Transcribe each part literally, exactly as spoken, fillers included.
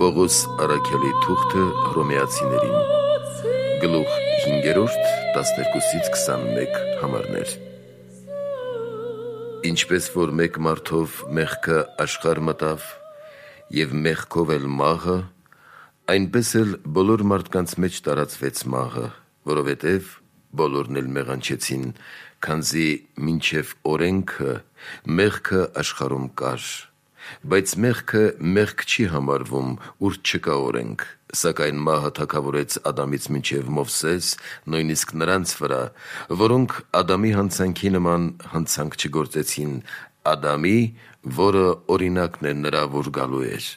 Պողոս առաքյալի թուղթը հռոմեացիներին, գլուխ հինգերորդ, տասներկուսից քսանմեկ համարներ։ Ինչպես որ մեկ մարդով մեղքը աշխարհ մտավ, և մեղքով էլ մահը, այնպես էլ բոլոր մարդկանց մեջ տարածվեց մահը, որովհետև բոլորն էլ մեղանչեցին, քանզի մինչև օրենքը մեղքը աշխարհում կար։ Բայց մեղքը մեղք չի համարվում, ուր չկա օրենք, սակայն մահը թագավորեց Ադամից մինչև Մովսես, նույնիսկ նրանց վրա, որոնք Ադամի հանցանքի նման հանցանք չգործեցին, Ադամի, որը օրինակն է նրա, որ գալու էր։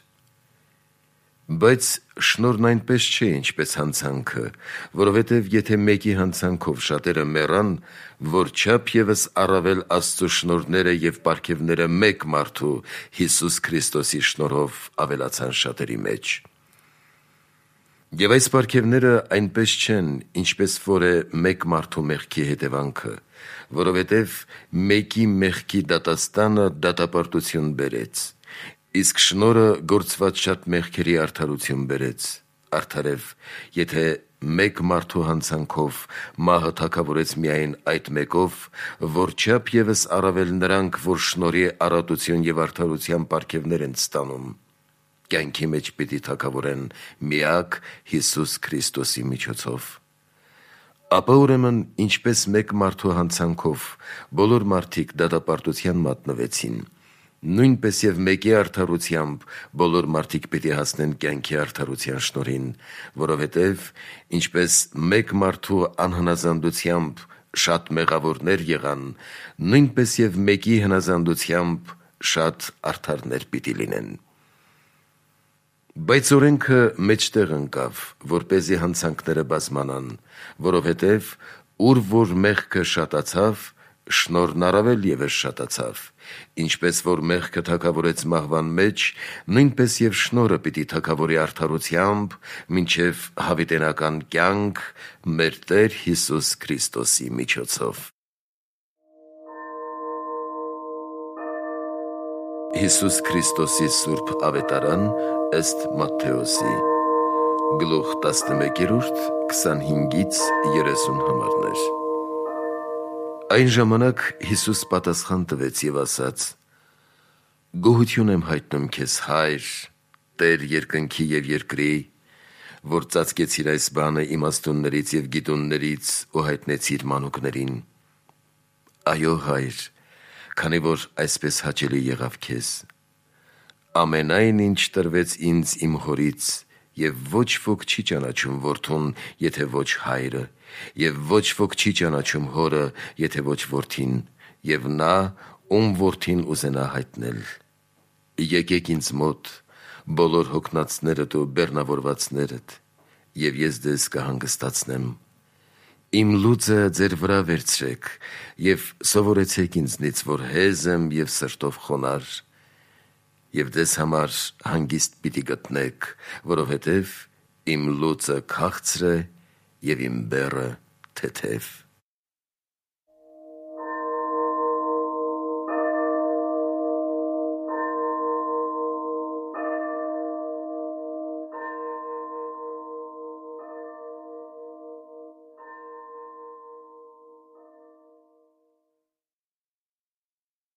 Բայց շնորհն այնպես չէ, ինչպես հանցանքը, որովհետև եթե մեկի հանցանքով շատերը մեռան, որչափ ևս առավել Աստծո շնորհները և պարգևները մեկ մարդու՝ Հիսուս Քրիստոսի շնորհով ավելացան շատերի մեջ։ Եվ այս պարգևները այնպես չեն, ինչպես որ է մեկ մարդու մեղքի հետևանքը, որովհետև մեկի մեղքի դատաստանը դատապարտություն բերեց, իսկ շնորհը գործված շատ մեղքերի արդարություն բերեց, արդարև, եթե մեկ մարդու հանցանքով մահը թագավորեց միայն այդ մեկով, որչափ ևս առավել նրանք, որ շնորհի առատություն և արդարության պարգևներ են ստանում, կյանքի մեջ պիտի թագավորեն միակ Հիսուս Քրիստոսի միջոցով։ Ապա ուրեմն ինչպես մեկ մարդու հանցանքով բոլոր մարդիկ դատապարտության մատնվեցին, նույնպես և մեկի արդարությամբ բոլոր մարդիկ պիտի հասնեն կյանքի արդարության շնորհին, որովհետև ինչպես մեկ մարդու անհնազանդությամբ շատ մեղավորներ եղան, նույնպես և մեկի հնազանդությամբ շատ արդարներ պիտի լինեն։ Բայց օրենքը մեջտեղ ընկավ, որպեսզի հանցանքները բազմանան, որովհետև ուր որ մեղքը շատացավ, շնորհն առավել ևս շատացավ, ինչպես որ մեղքը թագավորեց մահվան մեջ, նույնպես և շնորհը պիտի թագավորի արդարությամբ մինչև հավիտենական կյանք մեր Տեր Հիսուս Քրիստոսի միջոցով։ Հիսուս Քրիստոսի սուրբ ավետարան ըստ Մատթեոսի, գլուխ տասնմեկերորդ, քսանհինգից երեսուն համարներ։ Այն ժամանակ Հիսուս պատասխան տվեց և ասաց. «Գոհություն եմ հայտնում քեզ, Հայր, Տեր երկնքի և երկրի, որ ծածկեցիր այս բանը իմաստուններից և գիտուններից ու հայտնեցիր մանուկներին։ Այո, Հայր, քանի որ այսպես հաճելի եղավ քեզ։ Ամենայն ինչ տրվեց ինձ իմ Հորից, և ոչ ոք չի ճանաչում Որդուն, եթե ոչ Հայրը, և ոչ ոք չի ճանաչում Հորը, եթե ոչ Որդին, և նա, ում Որդին ուզենա հայտնել։ Եկեք ինձ մոտ, բոլոր հոգնածներդ ու բեռնավորվածներդ, և ես ձեզ կհանգստացնեմ։ Իմ լուծը ձեր վրա վերցրեք և սովորեցեք ինձնից, որ հեզ եմ և սրտով խոնարհ, և ձեզ համար հանգիստ պիտի գտնեք, որովհետև իմ լուծը քաղցր է և իմ բեռը թեթև»։